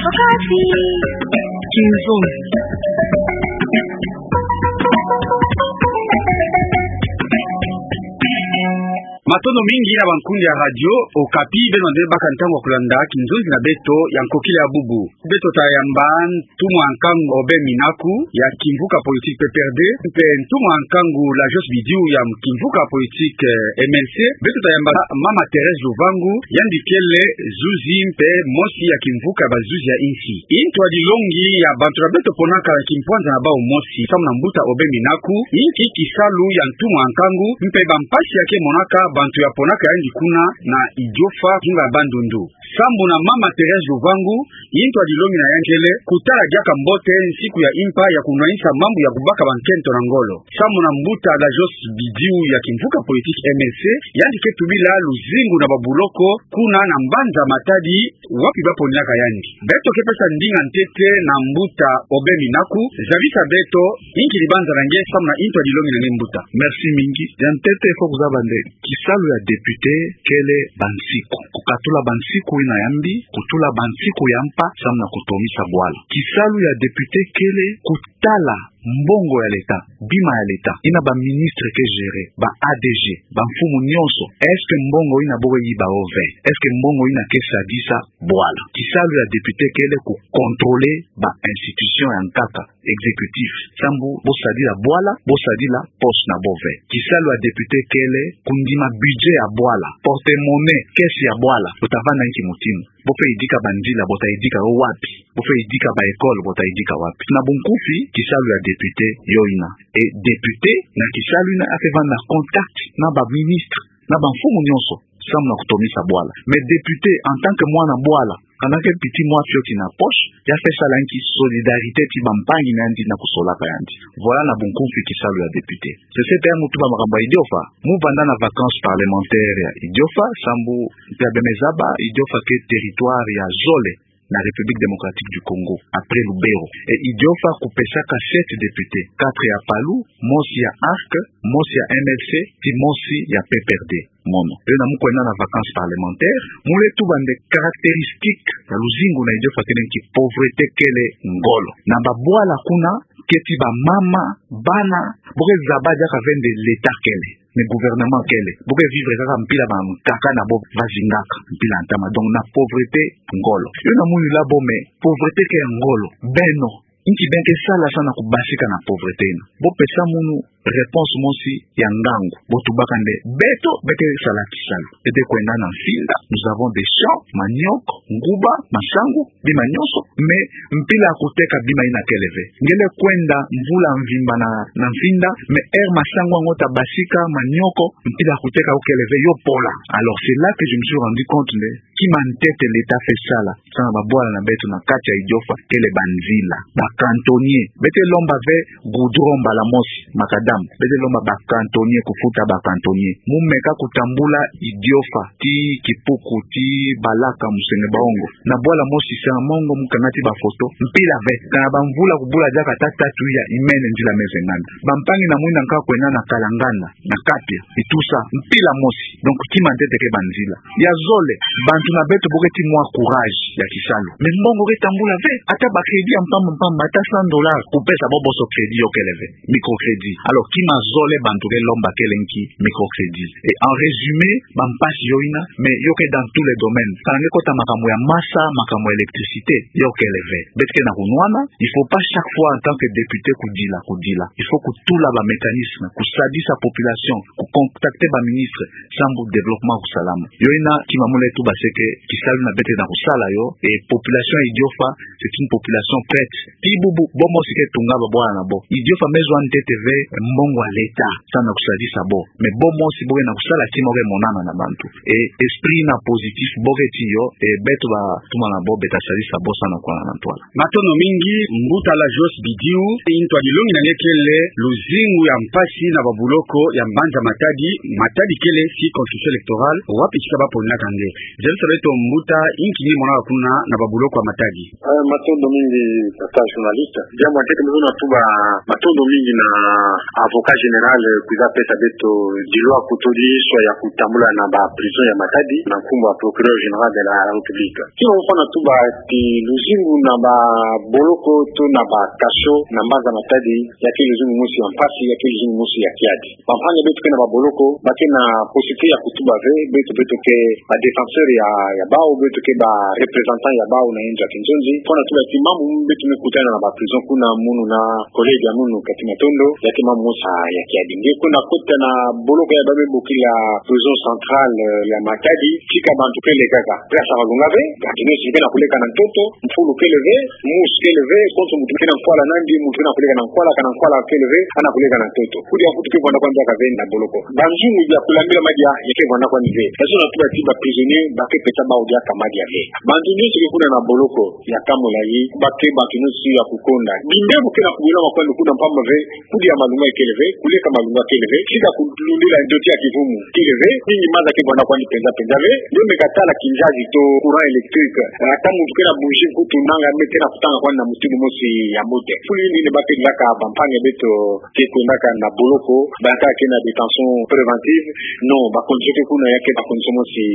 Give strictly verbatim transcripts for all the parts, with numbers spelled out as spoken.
Okapi. Kinzonzi. Matondo mingi na bankundi ya Radio Okapi, beno nde baka ntangu ya kulanda kinzonzi na beto ya nkokila ya bubu. Beto tayamba ntumwa nkangu Aubin Minaku ya kimvuka politique P P R D, mpe ntumwa nkangu Lajos Bidiu ya kimvuka politique, eh, M L C. Beto tayamba Mama Thérèse Luvangu, yandi kele zuzi mpe mosi ya kimvuka ya bazuzi ya insi. Intu ya dilongi ya bantu na beto ponaka na kimpwanza na bau mosi, samu na mbuta Aubin Minaku, inki kisalu ya ntumwa nkangu, mpe bampasi ya ke monaka bantu ya ponaka yandi kuna na Idiofa, ngunga ya Bandundu. Sambu na Mama Thérèse Luvangu, intu ya dilongi na yandi kele kutala diaka mbote nsiku ya impa ya kunwanisa mambu ya kubaka bankento na ngolo. Sambu na mbuta Lajos Bidiu ya kimvuka politique M L C, yandi ke tubila luzingu na babuloko kuna na mbanza Matadi, wapi baponinaka yandi. Beto ke pesa ndinga ntete na mbuta Aubin Minaku, zabisa beto inki libanza na nge samu na intu ya dilongi na nge, mbuta. Merci mingi. Ya ntete, faut kuzaba nde kisalu ya député kele bansiku. Kukatula bansiku yina ya mbi, kutula bansiku ya mpa, samu na kutomisa bwala. Kisalu ya député kele kutala mbongo ya l'État, bima ya l'État, yina baministre ke gérer, ba A D G, bamfumu nyonso, est-ce que mbongo yina bo ke yiba yo ve? Est-ce que mbongo yina ke sadisa bwala? Kisalu ya député kele kucontrôler ba institution ya nkaka, exécutif. Sambu bo sadila bwala, bo sadila poste na bo ve. Kisalu ya député kele kundima budget ya bwala, porte-monnaie, caisse ya bwala. Bo tavanda inki mutindu? Bo fwe yidika banzila, bo tayidika yo wapi? Bo fwe yidika ba école, bo tayidika wapi? Na bunkufi, kisalu ya député yo yina. Et député, na kisalu yina, a fwe vanda na contact na baministre, na bamfumu nyonso, samu na kutomisa bwala. Mais député, en tant que mwana bwala, kana ke petit mwa fioti na poche, ya fwe sala inki? Solidarité ti bampangi na yandi na kusolaka yandi. Voilà na bunkufi kisalu ya député. C'est ce que mu tuba makambu ya Idiofa. Mu vanda na vacances parlementaires ya Idiofa, sambu mpe beno me zaba, Idiofa ke territoire ya zole na République démocratique du Congo, après Lubero. Et Idiofa kupesaka sept députés, quatre ya PALU, mosi ya ARC, mosi ya M L C, ti mosi ya P P R D. Mono. Yo yina mu kwenda na vacances parlementaires, mu le tuba nde caractéristique ya luzingu na Idiofa kele inki? Pauvreté kele ngolo. Na babwala kuna, keti bamama, bana, bo ke zaba diaka ve nde l'État kele, mais gouvernement kele. Bo ke vivre kaka mpila bankaka na bo bazingaka, mpila ntama. Donc na pauvreté ngolo. Yo yina mu yula bo, mais pauvreté ke ya ngolo. Beno, inki beno ke sala samu na kubasika na pauvreté yina? Bo pesa munu réponse mosi ya ngangu. Bo tubaka nde beto, beto ke sala kisalu. Beto ke kwenda na mfinda, nous avons des champs, manioc, nguba, masangu, bima nyonso, mais mpila ya kuteka bima yina kele ve. Nge le kwenda mvula mvimba na, na mfinda, mais heure masangu yango tabasika, manioko, mpila ya kuteka yo kele ve, yo pola. Alors, c'est là que je me suis rendu compte nde kima ntete l'État fwe sala samu na babwala na beto na kati ya Idiofa kele banzila. Ba cantonniers. Beto ke lomba ve goudron mbala mosi, macadam. Beto ke lomba ba cantonniers, kufuta ba cantonniers. Mu meka kutambula Idiofa, ti Kipuku, ti Balaka, Musenge Baongo. Na bwala mosi Sera Mongo, mu kangati ba photo, mpila ve. Kana bamvula kubula diaka ata tatu ya imene nzila me vengana. Bampangi na mwini nkaka kwenda na Kalanganda, na Kapia, Itusa, mpila mosi. Donc, kima ntete ke banzila. Ya zole, bantu na beto bo keti mwa courage ya kisalu. Mais mbongo ke tambula ve, ata ba crédit ya mpamba mpamba, ata cent dollars, kupesa bo bonso crédit yo kele ve. Microcrédit. Alors, kima zole bantu ke lomba kele inki? Microcrédit. Et en résumé, bampasi yo yina, mais yo ke dans tous les domaines. Kana nge kota makambu ya masa, makambu ya électricité, yo kele ve. Beto ke na kunwana, il faut pas chaque fois en tant que député kudila, kudila. Il faut kutula ba mécanismes, kusadisa population, kucontacter ba ministres, sambu développement kusalama. Yo yina kima mu le tuba, c'est que kisalu yina beto ke na kusala yo, et population ya Idiofa, c'est une population prête. Ti bubu, bo mosi ke tunga babwala na bo. Idiofa me zwa ntete ve mbongo ya l'État samu na kusadisa bo. Mais bo mosi bo ke na kusala ti mo ke monana na bantu. Et esprit yina positif bo keti yo, et beto batumwa na bo, beto tasadisa bo samu na kwana na ntwala. Matondo mingi, mbuta Lajos Bidiu. Intu ya dilongi na nge kele luzingu ya mpasi na babuloko ya mbanza Matadi, Matadi kele circonscription électorale, wapi tika baponinaka nge. Zabisa beto mbuta, inki nge monaka kuna na babuloko ya Matadi. Eh, Matondo mingi, tata journaliste. Diambu ya ntete, mu luzolo na tuba matondo mingi na avocat général kwiza pesa beto dilwa kutu disu ya kutambula na ba prison ya Matadi, na nkumbu ya Procureur Général de la République. Kima mu fwana tuba ti luzingu na ba boloko to na ba cachot na mbanza Matadi, ya ke luzingu mosi ya mpasi, ya ke luzingu mosi ya kiadi. Bampangi ya beto ke na ba boloko, ba ke na possibilité ya kutuba ve, beto, beto ke ba défenseur ya, ya bawu, beto ke ba représentant ya bawu na inzo ya kinzonzi. Fwana tuba ti mambu beto me kutana na ba prison kuna, munu na collègue ya munu kati matondo, ya ke mambu mosi ya kiadi. Nge kwenda kota na boloko ya ba me bokila prison centrale ya Matadi, tika bantu pelekaka. Place ya malunga ve, bantu nyonso ke na kuleka na ntoto, mfulu kele ve, musu kele ve, konso muntu ke na nkwala na yandi, muntu ke na kuleka na nkwala, kana nkwala kele ve, ana kuleka na ntoto. Kudi ya nkutu ke vwanda kwandi diaka ve na boloko. Banzungu ya kulambila madia, ya ke vwanda kwandi ve. Luzolo na tuba ti ba prisonnier, ba ke pesa bawu diaka madia ve. Bantu nyonso ke kuna na boloko ya Camp Lahi, ba ke bantu nyonso ya kukonda. Bimbevo ke na kubwela makwandi kuna mpamba ve, kudi ya malunga kele ve, kuleka malunga kele ve, tika kulundila ndoto ya kivumu kele ve, mingi maza ke vwanda kwandi penza penza ve, nge me katala kinzazi to courant électrique, ata muntu ke na bougie nkutu nanga me ke na kutanga kwandi na mutindu mosi ya mbote. Fulu yina ni ba ke dilaka bampangi ya beto ke kwendaka na boloko, ba ke na détention préventive, non, ba condition ke kuna ya ke ba condition mosi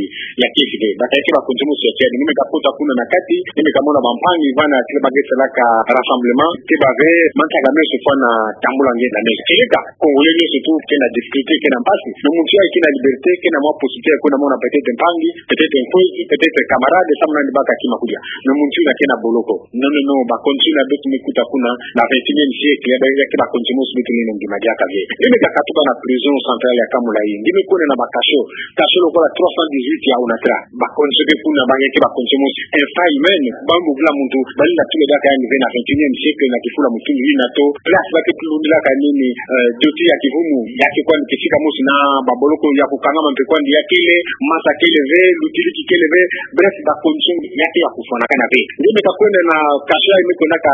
ya kiese ve. Ba ke ba condition mosi ya kiese. Nge me kakota kuna na kati, nge me kamona bampangi vana ti ba ke salaka rassemblement, ti ba ve, mantaka meso fwana tambula nge na meso. Keleka, Congolais nyonso tout ke na difficulté, ke na mpasi. Mais muntu ya ke na liberté, ke na mwa possibilité ya kwenda mona peut-être mpangi, peut-être nkwezi, peut-être camarade, samu na yandi baka kima kudia. Mais muntu yina ke na boloko. Non, non, non, ba condition ya beto me kuta kuna na vingt et unième siècle, ya ba, ya ke ba condition mosi beto lenda ndima diaka ve. Nge me kakatuba na prison centrale ya Camp Lahi. Nge me kwenda na ba cachot. Cachot lokola trois cent dix-huit ya Onatra. Ba condition ke kuna ba nge ke ba condition mosi infra-humaine. Ba mbugula muntu, ba lenda tula diaka yandi ve na vingt et unième siècle na kifula mutindu yina to. Place ba ke kulundilaka nini, euh, ndoto ya kivumu, ya ke kwandi kisika mosi na ba boloko ya kukangama mpe kwandi ya kele, masa kele ve, lutiliki kele ve, bref, ba condition ya ke ya kufwanakana ve. Nge me kakwenda na cachot ya me kwendaka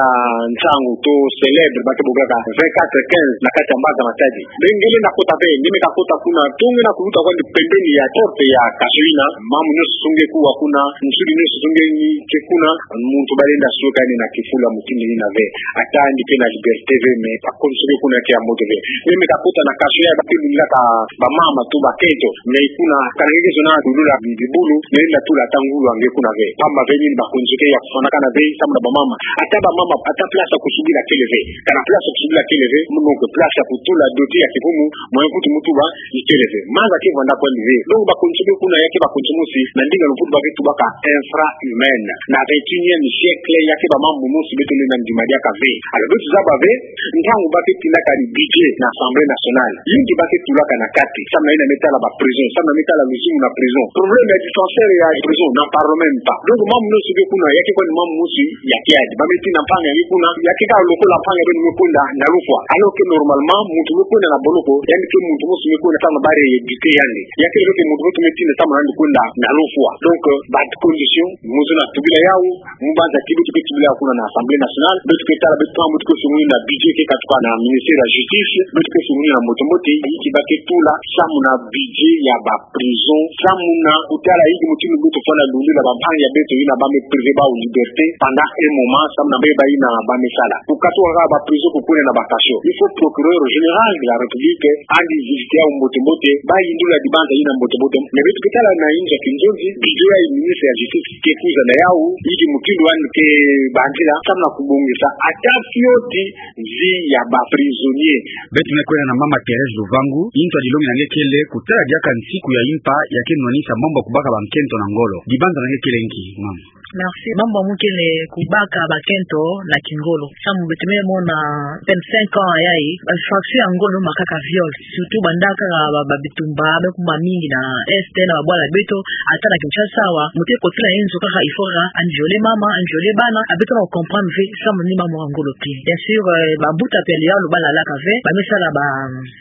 nsangu to célèbre, ba ke bokaka vingt-quatre quinze na kati ya mbanza Matadi. Mais nge lenda kota ve, nge me kakota kuna, to nge na kuluta kwandi pembeni ya porte ya cachot yina, mambu nyonso nge kuwa kuna, nsudi nyonso nge ni ke kuna, muntu ba lenda suka yandi na kifula mutindu yina ve. Ata yandi ke na liberté ve, mais ba condition ke kuna ke ya mbote ve. Nge me kakota na cachot ya ba ke lundilaka bamama to bakento, mais kuna, kana nge ke zona lulula bi-, bibulu, nge lenda tula ata ngulu ya nge kuna ve. Pamba ve nini? Ba condition ke ya kufwanakana ve, samu na bamama. Ata bamama, ata place ya kusubila kele ve. Kana place ya kusubila kele ve, mu donc place ya kutula ndoto ya kivumu, moyen nkutu mu tuba, ikele ve. Maza ke vwanda kwandi ve. Donc ba condition ke kuna ya ke ba condition mosi, na ndinga ya Mputu ba ke tubaka infra-humaine. Na vingt et unième siècle, ya ke ba mambu mosi beto lenda ndima diaka ve. Alors, beto zaba ve, ntangu ba ke tindaka ni budget na Assemblée nationale, yinki ba ke tulaka na kati, samu na yina me tala ba prison, samu na me tala luzingu na prison. Problème ya dispensaire ya prison, n'en parlons même pas. Donc, mambu nyonso ke kuna, ya ke kwandi mambu mosi ya kiadi. Ba me tinda mpangi ya nge kuna, ya ke kaka lokola mpangi ya beno me kwenda na lufwa. Alors que normalement, muntu me kwenda na boloko, yandi ke muntu mosi me kwenda samu na ba rééduquer yandi. Ya ke lokola muntu mosi me tinda samu na yandi kwenda na lufwa. Donc, euh, ba condition, mu luzolo na tubila yawu, mu banza ti beto ke tubila kuna na Assemblée nationale, beto ke tala beto, beto ke sungula budget ke katuka na ministère ya justice, beto ke sungula na mbote mbote, yinki ba ke tula, samu na budget ya ba prison, samu na kutala yinki mutindu beto fwana lundila bampangi ya beto yina ba me priver bawu liberté pendant un moment, samu na ba yina ba me sala. Kukatuka kaka ba prison, kukwenda na ba cachot. Il faut procureur général de la République andi visiter yawu mbote mbote, ba yindula dibanza yina mbote mbote. Mais beto ke tala na inzo ya kinzonzi, budget ya ministre ya justice ke kwiza na yawu, yinki mutindu yandi ke banzila, samu na kubongisa ata fioti vie ya ba prisonnier. Beto me kwenda na mama Thérèse Luvangu, yinto ya dilongi na nge kele, kutala diaka nsiku ya impa ya ke nwanisa mambu ya kubaka bankento na ngolo. Dibanza na nge kele nki, mama? Merci. Mambu ya mu kele kubaka bakento na kingolo. Samu beto me mona vingt-cinq ans yayi, ba infraction ya ngolo me kaka viol. Surtout banda kaka ba, ba bitumba, be kuma mingi na Est, na babwala beto, ata na Kinshasa awa, mutu ke kotela inzo kaka, il faut kaka a violer mama, a violer bana, a beto na comprendre ve, samu ni mambu ya ngolo te. Bien sûr, euh, ba mbuta pele ya lo ba lalaka ve, ba me sala ba,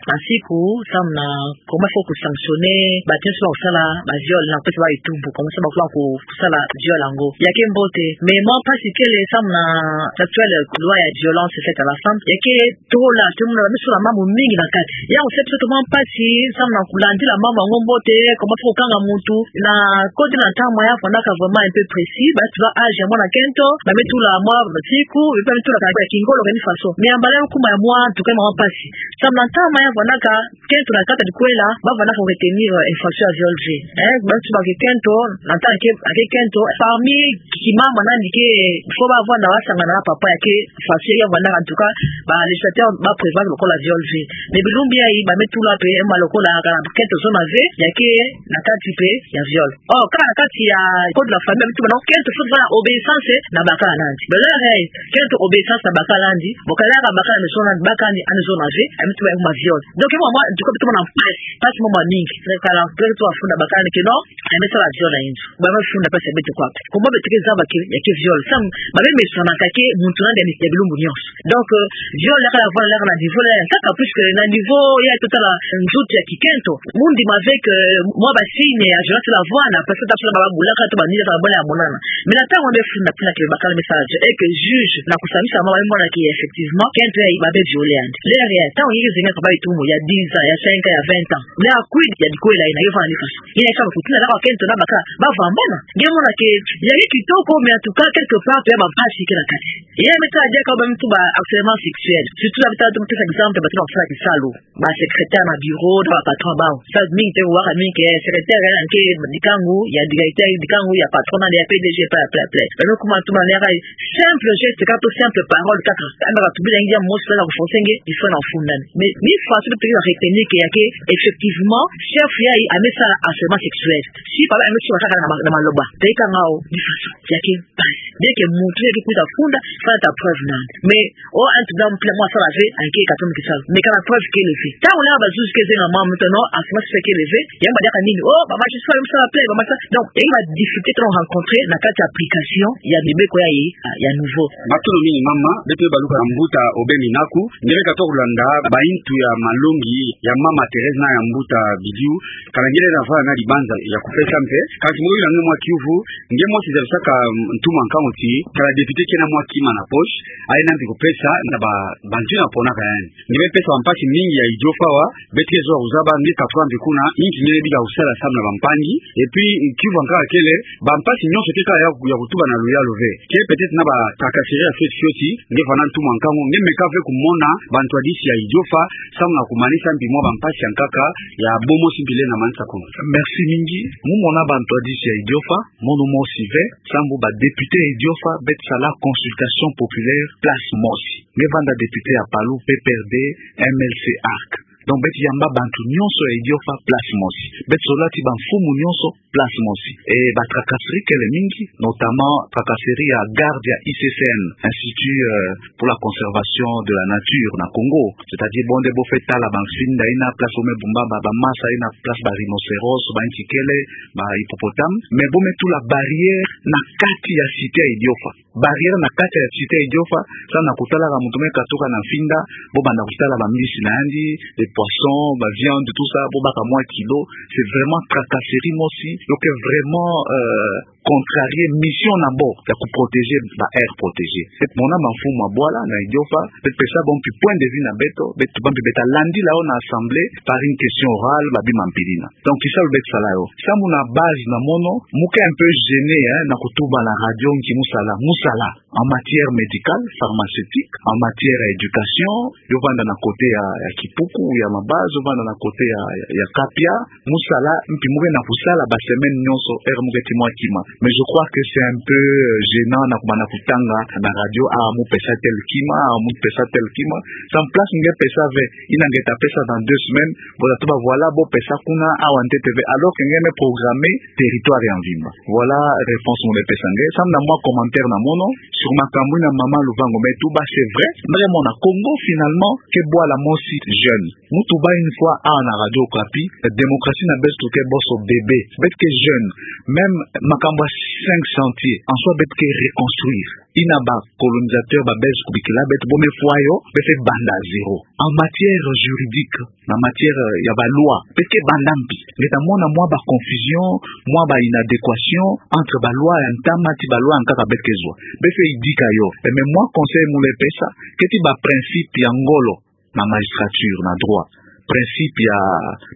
ba nsiku, samu na comment faut ku sanctionner bato nyonso ba kusala ba viol na kupesa bawu etumbu, comment ça ba kula ku, kusala viol yango. Ya ke mbote, mais mwa mpasi kele samu na actuelle loi ya violence faite à la femme, ya ke tola, tomona ba me sala mambu mingi na kati. Yawu se biso tomona mpasi samu na kulandila mambu yango mbote, comment faut kukanga mutu, na koti na ntangu ya fwanaka vraiment un peu précis, ba tula âge ya mwana ke Kento, ba me tula mwa masiku, ba me tula kaka ya kingolo kani faso. Mais ya mbala ya kuma ya mwa, en tout cas, mwa mpasi. Samu na ntama ya vandaka, kento na kati ya dikuela, ba vandaka ko retenir, euh, infraction ya viol ve. Eh, ba tuba ke kento, na ntama ke, ke kento, parmi ki mama nani ke, faut ba vanda ba sangana na papa ya ke, infraction ya vandaka, en tout cas, ba législateur ba prévoir lokola viol ve. Mais bilumbu yayi, ba me tula pe, eh, mwa lokola, kala kento zona ve, ya ke, na kati pe, ya viol. Oh, kaka na kati ya code de la famille, ba me tuba non, kento faut vanda obéissance na bakala nandi. Mais l'heure, eh, kento obéissance na bakala nandi, bon, kala ka bakala nandi zona, bakala nandi, ani zona ve, ba me tuba mwa viol. Donc, mwa, mwa, en tout cas, ba me tuba na mpasi, mpasi mwa mingi. Kala, kento funda bakala nandi ke non, eh, me sala viol na inzo. Ba me funda mpasi ya beto kwa. Comment beto ke zaba ke, ya ke viol. Samu, ba me mesanaka ke, muntu nandi ya bilumbu nyonso. Donc, euh, viol, la kala vanda, la kala niveau, la, kaka, puisque na niveau ya totala nzutu ya kikento, mu ndima ve ke, euh, mwa ba signe ya violence la vanda, parce que ta sala ba bulaka to ba nila, ta ba la monana. Mais na ntango ya funda kuna ke bakala me sala viol, et que juge, na kusambisa mama, me mona ke effectivement, kento ya ba me viole yandi. L'heure ya, ntango ya zenga ka ba itumu, ya dix ans, ya cinq ans, ya vingt ans. Mais à quid ya dikuela yina, yo vanda ni faso. Yina sa kutina la kwa kento na bakala, ba vambana. Nge mona ke, ya ye kitoko, mais en tout cas, quelque part, pe ba mpasi ke na kati. Ye me ta dia ka ba me tuba harcèlement sexuel. Surtout la bita tu me exemple, ba tuna kufula kisalu. Ba secrétaire na bureau, na ba patron bao. Sa mingi te waka mingi ke secrétaire ya nke dikangu, ya directeur dikangu, ya patron na ya P D G, pla, pla, pla. Ba me kuma tuba na ya ka simple geste, kaka to simple parole, kaka. Amba ka tubila ngia mosi la kuforcer nge, il faut na fundana. Mais, ni faso beto ke retenir ke ya ke, effectivement, chef yayi, a me sala harcèlement sexuel. Si papa a me sala kaka na ma-, na maloba. Teka ngao, ni faso. Ya ke, mpasi. Dès que muntu ya ke kuta funda, fanda ta preuve nandi. Mais, oh, en tout cas, mwa sala ve, anke ka toma kisalu. Mais kala preuve ke leve. Ntango la ba juge ke zenga mama, muntu non, harcèlement sexuel ke leve, ya mba diaka nini? Oh, ba magistrat, ba sala plainte, ba magistrat. Donc, ya ba difficulté to rencontrer na kati ya application ya mibeko yayi, ah, ya nouveau. Matondo mingi mama, beto baluka na mbuta Aubin Minaku, nge beka to kulanda, ba intu ya malongi, ya mama Thérèse na ya mbuta Bidiou, kala nge na vanda na libanza ya kupesa mpe, kasi mo yula nge mwa kiuvu, nge mosi zabisaka, mm, ntumwa nkangu ti, kala député ke na mwa kima na poche, aye na mbi kupesa, na ba, bantu na ponaka yandi. Nge beka pesa ba mpasi mingi ya idiofa awa, beto ke zola kuzaba, nge ka twa mbi kuna, inki nge bika kusala samu na ba mpangi, et puis, kiuvu ya nkaka kele, ba mpasi nyonso ke kaka ya, ya kutuba na luyalu ve. Ke peut-être na ba tracasserie ya fioti fioti, nge vanda ntumwa nkangu, nge meka ve kumona, ba ntwadisi ya idiofa, samu na kumanisa mbi mwa ba mpasi ya nkaka, ya bomosi mbi lenda manisa kuna. Merci mingi. Mu mona ba ntwadisi ya idiofa, mono mosi ve, samu ba député ya idiofa, beto sala consultation populaire, place mosi. Nge vanda député ya Palu, P P R D, M L C, arc. Donc, beto yamba bantu nyonso ya idiofa place mosi. Beto sola ti ba mfumu nyonso place mosi. Et ba tracasserie kele mingi, notamment tracasserie ya garde ya I C C N, Institut, euh, pour la conservation de la nature na Congo. C'est-à-dire, bon, nde bo fwe tala ba mfinda yina place bo me bumba ba, ba masa yina place ba rhinocéros, ba nti kele, ba hippopotame. Mais bo me tula barrière na kati ya cité ya idiofa. Barrière na kati ya cité ya idiofa, samu na kutalaka muntu me katuka na mfinda, bo banda kutala ba mbisi na yandi, les poissons, ba viande, tout ça, bo baka mwa kilo, c'est vraiment tracasserie mosi, donc vraiment, euh, contrarier mission na bo, ya ku protéger ba aire protégée. Beto mona ba mfumu ya bwala na idiofa, beto pesa bo mpi point de vue na beto, beto tuba mpi beto ta landila yo na assemblée, par une question orale, ba bima mpilina. Donc, kisalu beto sala yo. Samu na base na mono, mu ke un peu gêné, hein, na kutuba na radio nki mu sala, mu sala. En matière médicale, pharmaceutique, en matière ya éducation, yo vanda na côté ya, ya Kipuku, ya Mabazo, yo vanda na côté ya, ya, ya Kapia, mu sala, mpi mu ke na kusala ba semaine nyonso, heure mu ke ti mwa kima. Mais je crois que c'est un peu, euh, gênant na kubanda kutanga na radio, ah, mu pesa tel kima, ah, mu pesa tel kima. Samu place nge pesa ve, yina nge ta pesa dans deux semaines, bo ta tuba voilà, bo pesa kuna, awa ntete ve, alors que nge me programmer territoire ya mvimba. Voilà réponse mu me pesa nge. Samu na mwa commentaire na mono, sur makambu yina mama Luvango me tuba, c'est vrai, vraiment na Congo, finalement, ke bwala mosi jeune. Mu tuba une fois, ah, na Radio Okapi, démocratie na beto ke boso bébé. Beto ke jeune, même makambu ya cinq chantiers, en soi beto ke reconstruire. Yina ba colonisateur ba Belge kubikila beto, bo me fwa yo, beto fwe banda à zéro. En matière juridique, na matière, euh, ya ba loi, beto ke banda mpi. Nge ta mona mwa ba confusion, mwa ba inadéquation entre ba loi ya ntama ti ba loi ya nkaka beto ke zwa. Beto fwe idika yo. Et mais mwa conseil mu le pesa, keti ba principe ya ngolo na magistrature, na droit. principe ya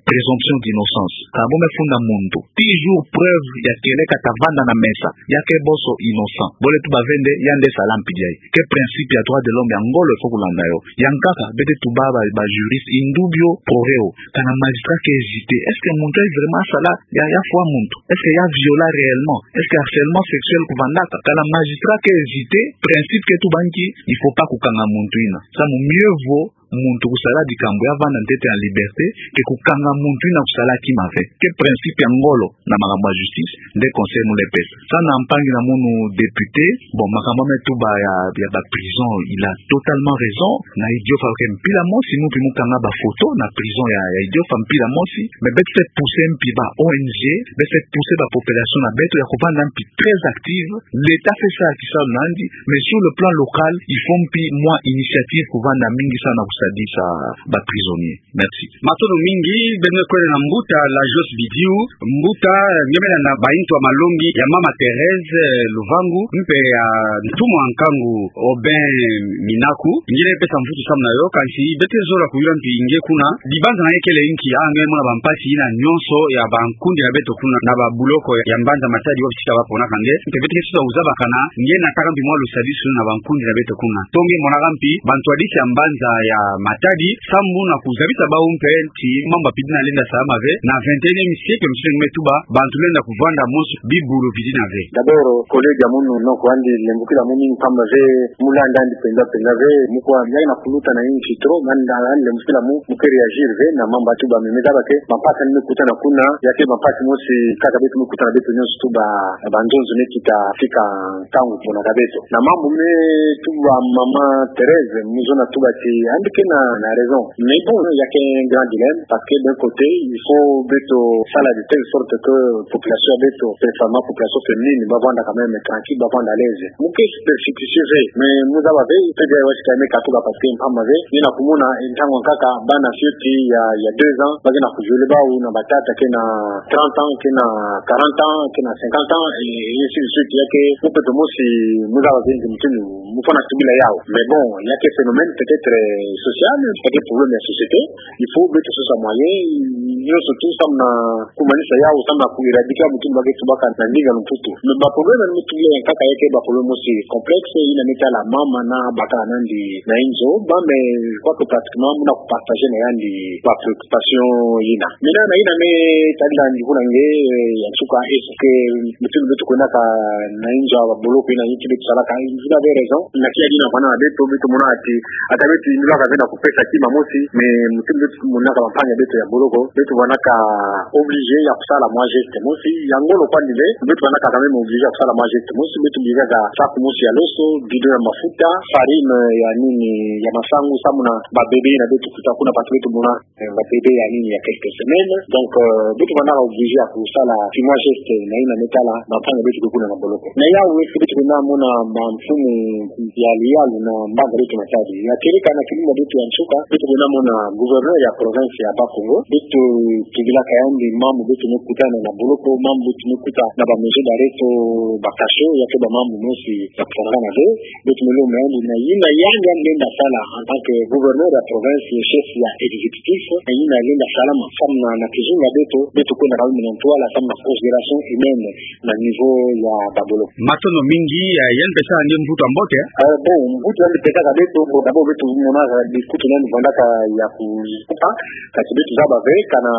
présomption d'innocence. Ka bo me funda muntu, toujours preuve ya kele ka ta vanda na mesa ya ke bo so innocent, bo le tuba ve nde yandi sala mpidi ayi. Ke principe ya droit de l'homme ya ngolo il faut kulanda yo. Ya nkaka, beto tuba ba, ba juriste, in dubio pro reo. Kana magistrat ke hésiter, est-ce que muntu ayi vraiment asala, ya, ya fwa muntu? Est-ce que ya viola réellement? Est-ce que harcèlement sexuel kuvandaka? Kana magistrat ke hésiter, principe ke tuba nki, il faut pas kukanga muntu yina. Samu mieux vaut muntu kusala dikambu ya vanda ntete en liberté, ke kukanga muntu yina kusala kima ve. Ke principe ya ngolo na makambu ya justice, nde conseil mu le pesa. Sa na mpangi na munu député, bon, makambu me tuba ya, ya ba prison, il a totalement raison. Na Idiofa ke mpila mosi, mu mpi mu kanga ba photo na prison ya, ya Idiofa mpila mosi. Mais beto se pousser mpi ba O N G, beto se pousser ba population na beto ya kuvanda mpi très active. L'État fait ça, kisalu na yandi, mais sur le plan local, il faut mpi mwa initiative kuvanda mingi samu na kusadisa ba prisonnier. Merci. Matondo mingi, beno kwenda na mbuta Lajos Bidiu, mbuta, nge me landa ba intu ya malongi ya mama Thérèse, eh, Luvangu, mpe ya ntumwa nkangu Aubin Minaku, nge le pesa mvutu samu na yo, kansi beto zola kuyula mpi nge kuna, dibanza na nge kele nki, ah, nge mona ba mpasi yina nyonso ya ba nkundi na beto kuna, na ba buloko ya mbanza Matadi wapi tika ba ponaka nge, mpe beto ke sosa kuzaba kana, nge nataka mpi mwa lusadisu na ba nkundi na beto kuna. To nge monaka mpi, ba ntwadisi ya mbanza ya Matadi, samu na kuzabisa bawu mpe ti mambu ya pidi na lenda salama ve, na vingt et unième siècle, msine nge me tuba, bantu lenda kuvanda mosi, bibulu bidi na ve. D'abord, collègue ya munu, noko andi lembukila mu mingi mpamba ve, mu landa andi penza penza ve, mu kwa, ya na kuluta na insi trop, manda andi lembukila mu, mu ke réagir ve, na mambu ya tuba, mais me zaba ke, ba mpasi andi me kutana kuna, ya ke ba mpasi mosi, kaka beto me kutana beto nyonso tuba, ba nzonzo me kita, fika, ntangu pona ka beto. Na mambu me tuba mama Thérèse, mu zona tuba ti, andi ke na, na raison. Mais bon, ya ke un grand dilemme, parce que d'un côté, il faut beto sala de telle sorte que population ya beto, principalement population féminine, ba vanda quand même tranquille, ba vanda à l'aise. Mu ke superstitieux ve, mais mu zaba ve, pe de wa sika me katuka parce que mpamba ve, nge na kumona, ntangu ya nkaka, bana fioti ya, ya deux ans, ba ke na ku violer bawu na ba tata ke na trente ans, ke na quarante ans, ke na cinquante ans, et ainsi de suite, ya ke, mu pepe mosi, mu zaba ve, nge mutindu, mu fwana tubila yawu. Mais bon, ya ke phénomène peut-être, euh, social, peut-être problème ya société. Il faut beto sosa moyen, nyonso tout samu na kumanisa yawu, samu na ku éradiquer mutindu ba ke tubaka na ndinga lumputu. Mais ba problème ya mutindu ya nkaka ya ke ba problème mosi complexe, yina me tala mama na bakala na yandi na inzo, ba me, je crois que pratiquement, muna ku partager na yandi ba préoccupation yina. Maintenant, na yina me tadila ndi kuna nge, eh, ya nsuka, est-ce que mutindu beto kwendaka na inzo ya ba boloko yina, yinki beto salaka, vous avez raison. Na tiya dina fwana beto, beto mona ti, ata beto yindulaka ve na kupesa kima mosi, mais mutindu beto monaka ba mpangi ya beto ya boloko, beto vandaka obligé ya kusala mwa geste mosi, ya ngolo kwandi ve, beto vandaka quand même obligé ya kusala mwa geste mosi, beto bikaka sac mosi ya loso, bidon ya mafuta, farine ya nini, ya masangu, samu na ba bébé na beto kuta kuna, parce que beto mona, eh, ba bébé ya nini ya quelques semaines. Donc, euh, beto vandaka obligé ya kusala ti mwa geste na yina me tala ba mpangi ya beto ke kuna na boloko. Na yawu, est-ce que beto kwenda mona ba mfumu ya liyalu na mbanza beto Matadi? Ya keleka na kilumbu ya beto ya nsuka, beto kwenda mona gouverneur ya province ya Bas-Congo. Beto tubilaka yandi mambu beto me kutana na boloko, mambu beto me kuta na ba maison d'arrêt to ba cachot, ya ke ba mambu mosi ya kufwanakana ve. Beto me lomba yandi na yina yandi, yandi lenda sala en tant que gouverneur ya province, chef ya exécutif, na yina lenda sala ma samu na, na kizunga beto, beto kwenda kaba me na ntwala samu na considération humaine na niveau ya ba boloko. Matondo mingi, eh, yandi pesa nge mvutu ya mbote. Eh, bon, mvutu yandi pesaka beto, bon, d'abord beto monaka bikutu yandi vandaka ya kukupa, kati beto zaba ve, kana,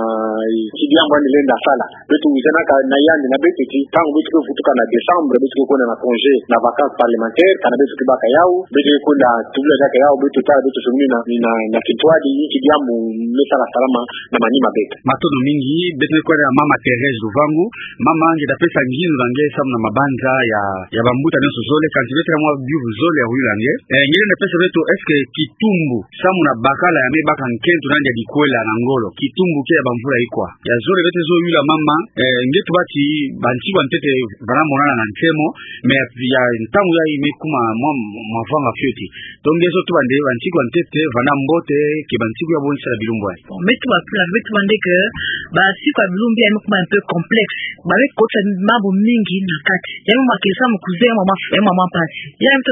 eh, ti diambu yandi lenda sala. Beto wizanaka na yandi na beto ti, ntangu beto ke vutuka na décembre, beto ke kwenda na congé, na vacances parlementaires, kana beto ke baka yawu, beto ke kwenda tubila diaka yawu, beto tala beto songini na, na, na kintwadi, yinki diambu me sala salama na manima beto. Matondo mingi, beto ke kwenda na mama Thérèse Luvangu, mama nge da pesa ngindu na nge samu na mabanza ya, ya bambuta nyonso zole, kansi beto na mwa biuvu zole ya kuyula nge. Eh, nge lenda pesa beto, est-ce que kitumbu, samu na bakala ya me baka nkento na yandi ya dikwela na ngolo, kitumbu ke ya bamvula ikwa? Ya zole beto zo yula mama, eh, nge tuba ti bansiku ya ntete vana monana na nsemo, mais ya ntangu yayi me kuma mwa, mwa vanga fioti. Donc nge zo tuba nde bansiku ya ntete vana mbote ke bansiku ya boni sala bilumbu yayi? Bon, me tuba pula, me tuba nde que bansiku ya bilumbu yayi me kuma un peu complexe. Ba me kotisa mambu mingi na kati. Ya me mwa kesa mu kuze mwa maf-, mwa mwa mpasi. Ya me to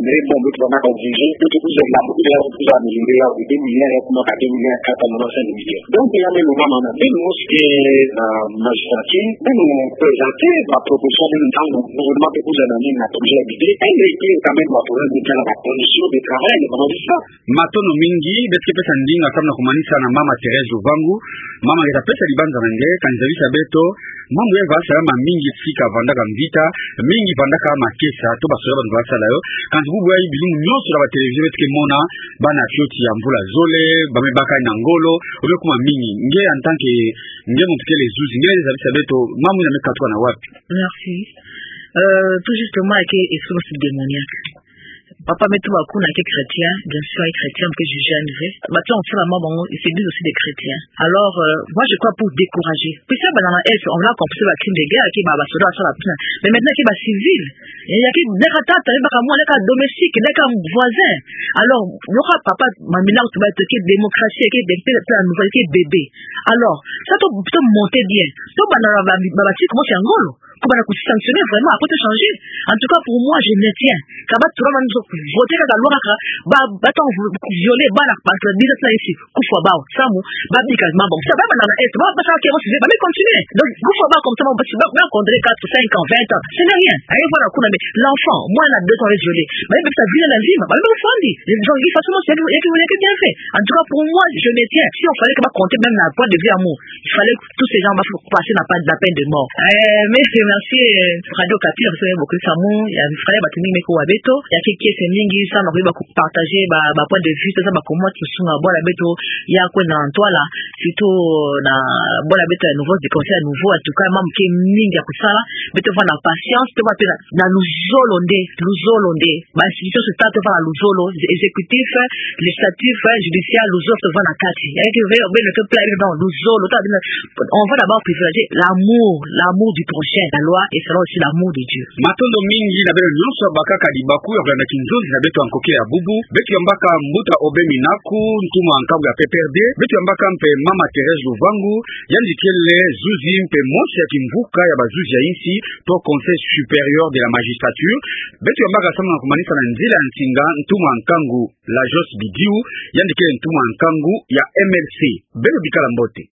Mais bon, beto bamana obligé, beto kuzela, beto kuzela milliards, deux milliards, ya kumaka deux milliards quatre cents, cinq milliards. Donc, ya me lo mama na, même lorsque, euh, magistrat, même présenter ma proposition, même dans le gouvernement, beto kuzela na, na projet de budget, elle était quand même ma projet de budget, la condition de travail, de comment dire ça. Matondo mingi, beto ke pesa ndinga samu na kumanisa na mama Thérèse Luvangu. Mama, nge ta pesa libanza na nge, kani zabisa beto mambu ya va sala mamingi tika vandaka mvita, mingi vandaka makesa, to basoda bani va sala yo. Kansi bubu ya bilumbu nyonso na ba télévision beto ke mona, bana fioti ya mvula zole, ba me baka na ngolo, o me kuma mingi. Nge en tant que, nge muntu kele zuzi, nge zabisa beto mambu ya me katuka na wapi? Merci. Euh, tout justement, ya ke esprit démoniaque. Papa me tuba kuna ke chrétien, bien sûr, ke chrétien, ke juge en vrai. Bato ya sala mambu yango, ils se disent aussi des chrétiens. Alors, euh, moi, je crois pour décourager. Puisque ba na est, on a compris ba crime de guerre, ke ba, basoda basala pina. Mais maintenant, ke ba civil. Ya ke, leka tata, leka mwana, leka domestique, leka voisin. Alors, nora papa, mamina, tuba, ke démocratie, ke, ke, ke, ke bébé. Alors, ça, to, to monter bien. To bana ba, ba, ba, ba, ti, comment c'est un golo. Ko banda ku sanctionner vraiment, après to changer. En tout cas, pour moi, je maintiens. Ka ba tula manu zo voter kaka loi kaka, ba, ba ta violer, ba na pa, ba disa tula isi, kufwa bao, samu, ba bika mambu. Sa ba bana na est, ba, ba sa ke mo si, ba me continuer. Donc, kufwa bao comme ça, ba, ba, ba contre quatre, cinq ans, vingt ans. Ce n'est rien. Aye, voilà, kuna me, l'enfant, moi, na deux ans, je l'ai. Ba me sa violer la vie, ba me fandi. Donc, il faut seulement, c'est, il y a que, il y a que bien fait. En tout cas, pour moi, je maintiens. Si on fallait que ba compter même la point de vue amour, il fallait que tous ces gens ba passer na pa, la peine de mort. Euh, mais je remercie, euh, Radio Okapi, parce que beaucoup de samu, ya, il fallait ba tuni me ko wa beto, ya ke kiese mingi, samu na ko ba ko partager ba, ba point de vue, ça, ba comment tu sunga, bwana beto, ya ko na ntwala, surtout, euh, na, bwana beto ya nouveau, des conseils à nouveau, en tout cas, mambu ke mingi ya kusala, beto va na patience, to va pe na, na luzolo nde, luzolo nde. Ba institution sociale to va na luzolo, exécutif, législatif, judiciaire, luzolo to va na kati. Ya ke ve, obele to plan, non, luzolo, to va na, on va d'abord privilégier l'amour, l'amour du prochain. La loi et selon aussi l'amour de Dieu. Matondo mingi na beno nyonso bakaka libaku ya kolanda kinzonzi na beto ya nkoke ya bubu. Beto yambaka Mbuta Aubin Minaku, ntumwa nkangu ya P P R D. Beto yambaka mpe Mama Thérèse Luvangu, yandi kele zuzi mpe mosi ya kimvuka ya bazuzi ya insi, to Conseil supérieur de la magistrature. Beto yambaka samu na kumanisa na nzila ya nsinga ntumwa nkangu Lajos Bidiou, yandi kele ntumwa nkangu ya M L C. Beno bikala mbote.